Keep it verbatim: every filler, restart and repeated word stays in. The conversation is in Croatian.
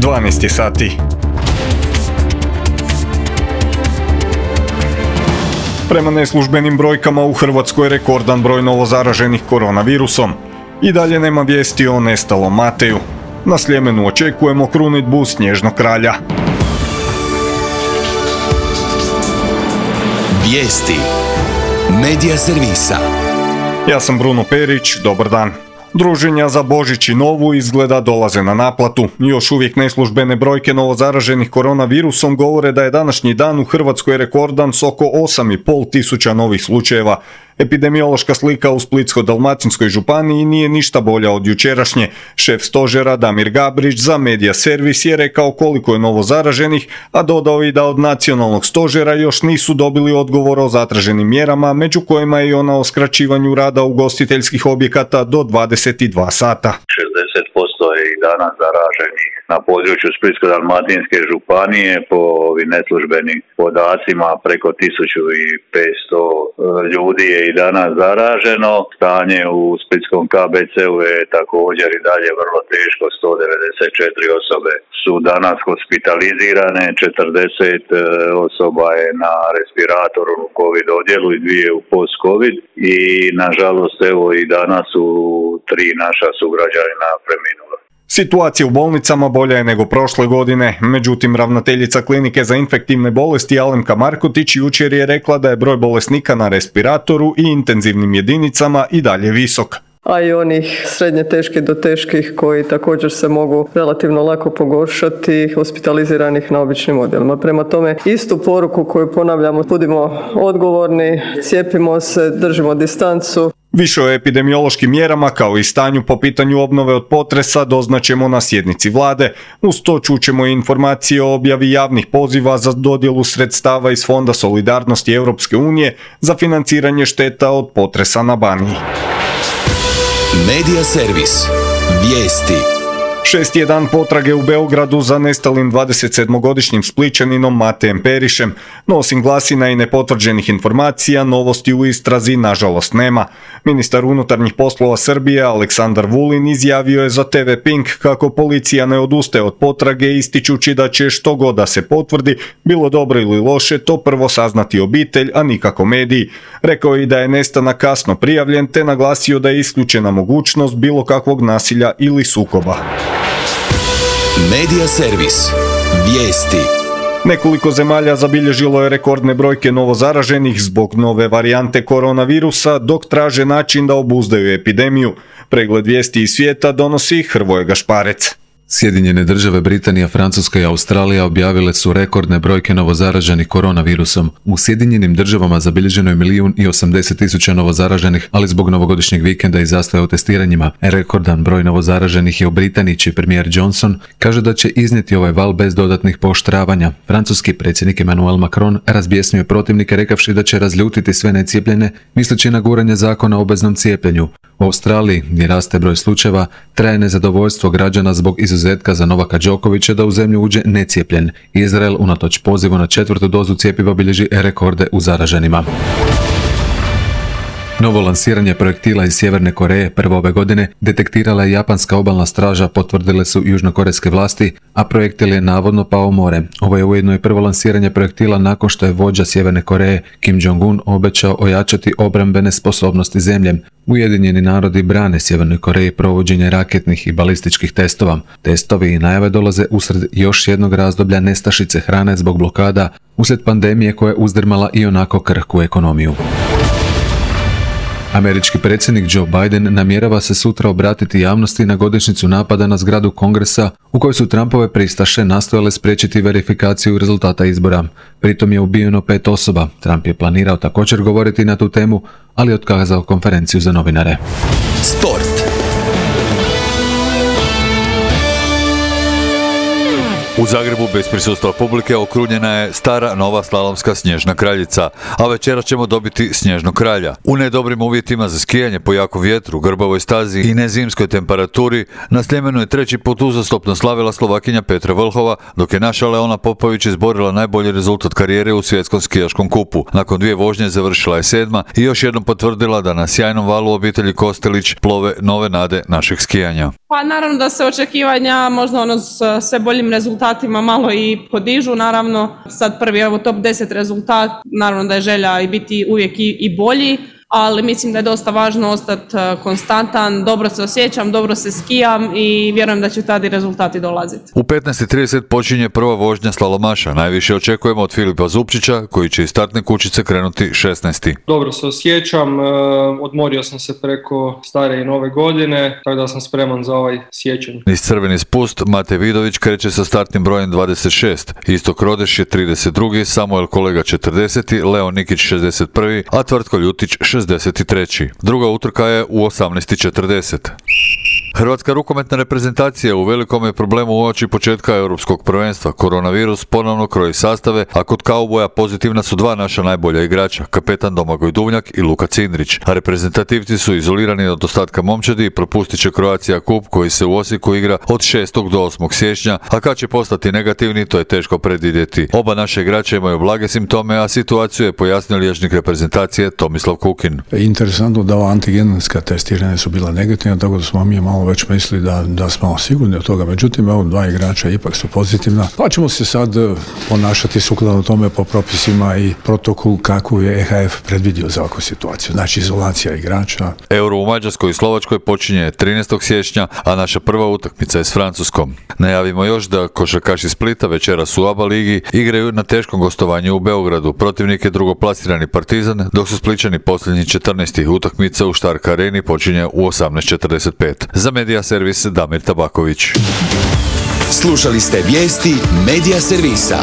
dvanaest je sati. Prema neslužbenim brojkama u Hrvatskoj rekordan broj novozaraženih koronavirusom. I dalje nema vijesti o nestalom Mateju. Na Sljemenu očekujemo krunidbu Snježnog kralja. Vijesti Medija servisa. Ja sam Bruno Perić, dobar dan. Druženja za Božić i Novu izgleda dolaze na naplatu. Još uvijek neslužbene brojke novozaraženih koronavirusom govore da je današnji dan u Hrvatskoj rekordan s oko osam i pol tisuća novih slučajeva. Epidemiološka slika u Splitsko-dalmatinskoj županiji nije ništa bolja od jučerašnje. Šef stožera Damir Gabrić za Medija servis je rekao koliko je novozaraženih, a dodao i da od nacionalnog stožera još nisu dobili odgovor o zatraženim mjerama, među kojima je i ona o skraćivanju rada ugostiteljskih objekata do dvadeset dva sata. šezdeset posto je i danas zaraženih na području Splitsko-dalmatinske županije, po ovim neslužbenim podacima preko tisuću petsto ljudi je i danas zaraženo. Stanje u splitskom K B C-u je također i dalje vrlo teško, sto devedeset četiri osobe su danas hospitalizirane, četrdeset osoba je na respiratoru u COVID odjelu i dvije u post-COVID i nažalost evo i danas su tri naša sugrađanina preminula. Situacija u bolnicama bolja je nego prošle godine, međutim ravnateljica klinike za infektivne bolesti Alemka Markotić jučer je rekla da je broj bolesnika na respiratoru i intenzivnim jedinicama i dalje visok. A i onih srednje teških do teških koji također se mogu relativno lako pogoršati, hospitaliziranih na običnim odjelima. Prema tome, istu poruku koju ponavljamo, budimo odgovorni, cijepimo se, držimo distancu. Više o epidemiološkim mjerama kao i stanju po pitanju obnove od potresa doznaćemo na sjednici vlade. Uz to čućemo i informacije o objavi javnih poziva za dodjelu sredstava iz Fonda solidarnosti Europske unije za financiranje šteta od potresa na Baniji. Medija servis. Vijesti. Šesti je dan potrage u Beogradu za nestalim dvadesetsedmogodišnjim Splićaninom Matejem Perišem, no osim glasina i nepotvrđenih informacija, novosti u istrazi nažalost nema. Ministar unutarnjih poslova Srbije Aleksandar Vulin izjavio je za T V Pink kako policija ne odustaje od potrage, ističući da će što god da se potvrdi, bilo dobro ili loše, to prvo saznati obitelj, a nikako mediji. Rekao je i da je nestanak kasno prijavljen, te naglasio da je isključena mogućnost bilo kakvog nasilja ili sukoba. Medija servis. Vijesti. Nekoliko zemalja zabilježilo je rekordne brojke novozaraženih zbog nove varijante koronavirusa, dok traže način da obuzdaju epidemiju. Pregled vijesti iz svijeta donosi Hrvoje Gašparec. Sjedinjene države, Britanija, Francuska i Australija objavile su rekordne brojke novozaraženih koronavirusom. U Sjedinjenim državama zabilježeno je milijun i osamdeset tisuća novozaraženih, ali zbog novogodišnjeg vikenda i zastoja u testiranjima. Rekordan broj novozaraženih je u Britaniji, čiji premijer Johnson kaže da će iznijeti ovaj val bez dodatnih pooštravanja. Francuski predsjednik Emmanuel Macron razbjesnio je protivnike rekavši da će razljutiti sve necijepljene, misleći na guranje zakona o obveznom cijepljenju. U Australiji, gdje raste broj slučajeva, traje nezadovoljstvo građana zbog izuzetka za Novaka Đokovića da u zemlju uđe necijepljen. Izrael, unatoč pozivu na četvrtu dozu cjepiva, bilježi rekorde u zaraženima. Novo lansiranje projektila iz Sjeverne Koreje prvo ove godine detektirala je japanska obalna straža, potvrdile su južnokorejske vlasti, a projektil je navodno pao u more. Ovo je ujedno i prvo lansiranje projektila nakon što je vođa Sjeverne Koreje Kim Jong-un obećao ojačati obrambene sposobnosti zemlje. Ujedinjeni narodi brane Sjevernoj Koreji provođenje raketnih i balističkih testova. Testovi i najave dolaze usred još jednog razdoblja nestašice hrane zbog blokada uslijed pandemije koja je uzdrmala i onako krhku ekonomiju. Američki predsjednik Joe Biden namjerava se sutra obratiti javnosti na godišnjicu napada na zgradu Kongresa u kojoj su Trumpove pristaše nastojale spriječiti verifikaciju rezultata izbora. Pritom je ubijeno pet osoba. Trump je planirao također govoriti na tu temu, ali je otkazao konferenciju za novinare. Sport. U Zagrebu bez prisustva publike okrunjena je stara nova slalomska snježna kraljica, a večeras ćemo dobiti snježnog kralja. U nedobrim uvjetima za skijanje po jakom vjetru, grbavoj stazi i nezimskoj temperaturi na Sljemenu je treći put uzastopno slavila Slovakinja Petra Vlhova, dok je naša Leona Popović izborila najbolji rezultat karijere u svjetskom skijaškom kupu. Nakon dvije vožnje završila je sedma i još jednom potvrdila da na sjajnom valu obitelji Kostelić plove nove nade našeg skijanja. Pa naravno da se očekivanja možda ono s sve boljim rezultatima malo i podižu, naravno sad prvi evo top deset rezultat, naravno da je želja i biti uvijek i, i bolji, ali mislim da je dosta važno ostati konstantan, dobro se osjećam, dobro se skijam i vjerujem da će tada i rezultati dolaziti. U petnaest i trideset počinje prva vožnja slalomaša. Najviše očekujemo od Filipa Zupčića, koji će iz startne kućice krenuti šesnaesti. Dobro se osjećam, odmorio sam se preko stare i nove godine, tako da sam spreman za ovaj siječanj. Niz crveni spust Mate Vidović kreće sa startnim brojem dvadeset šest, Istok Rodeš je trideset drugi, Samuel Kolega četrdeseti, Leo Nikić šezdeset prvi, a Tvrtko Ljutić šezdeset treći. Druga utrka je u osamnaest i četrdeset. Hrvatska rukometna reprezentacija u velikom je problemu uoči početka europskog prvenstva. Koronavirus ponovno kroji sastave, a kod kauboja pozitivna su dva naša najbolja igrača, kapetan Domagoj Duvnjak i Luka Cindrić. A reprezentativci su izolirani od ostatka momčadi i propustit će Croatia Cup koji se u Osijeku igra od šestog do osmog siječnja, a kad će postati negativni, to je teško predvidjeti. Oba naše igrače imaju blage simptome, a situaciju je pojasnio liječnik reprezentacije Tomislav Kukin. Interesantno da ova antigenska testiranja su bila negativna, tako da smo mi malo već mislili da, da smo sigurni od toga. Međutim, evo dva igrača ipak su pozitivna. Pa ćemo se sad ponašati sukladno tome po propisima i protokolu kako je E H F predvidio za ovakvu situaciju. Znači, izolacija igrača. Euro u Mađarskoj i Slovačkoj počinje trinaestog siječnja, a naša prva utakmica je s Francuskom. Najavimo još da košarkaši Splita večeras u ABA ligi igraju na teškom gostovanju u Beogradu. Protivnik je drugoplasirani Partizan, dok su Splićani posljednji četrnaesti. Utakmica u Štarka areni počinje u osamnaest četrdeset pet. Za Medija Servis Damir Tabaković. Slušali ste vijesti Medija Servisa.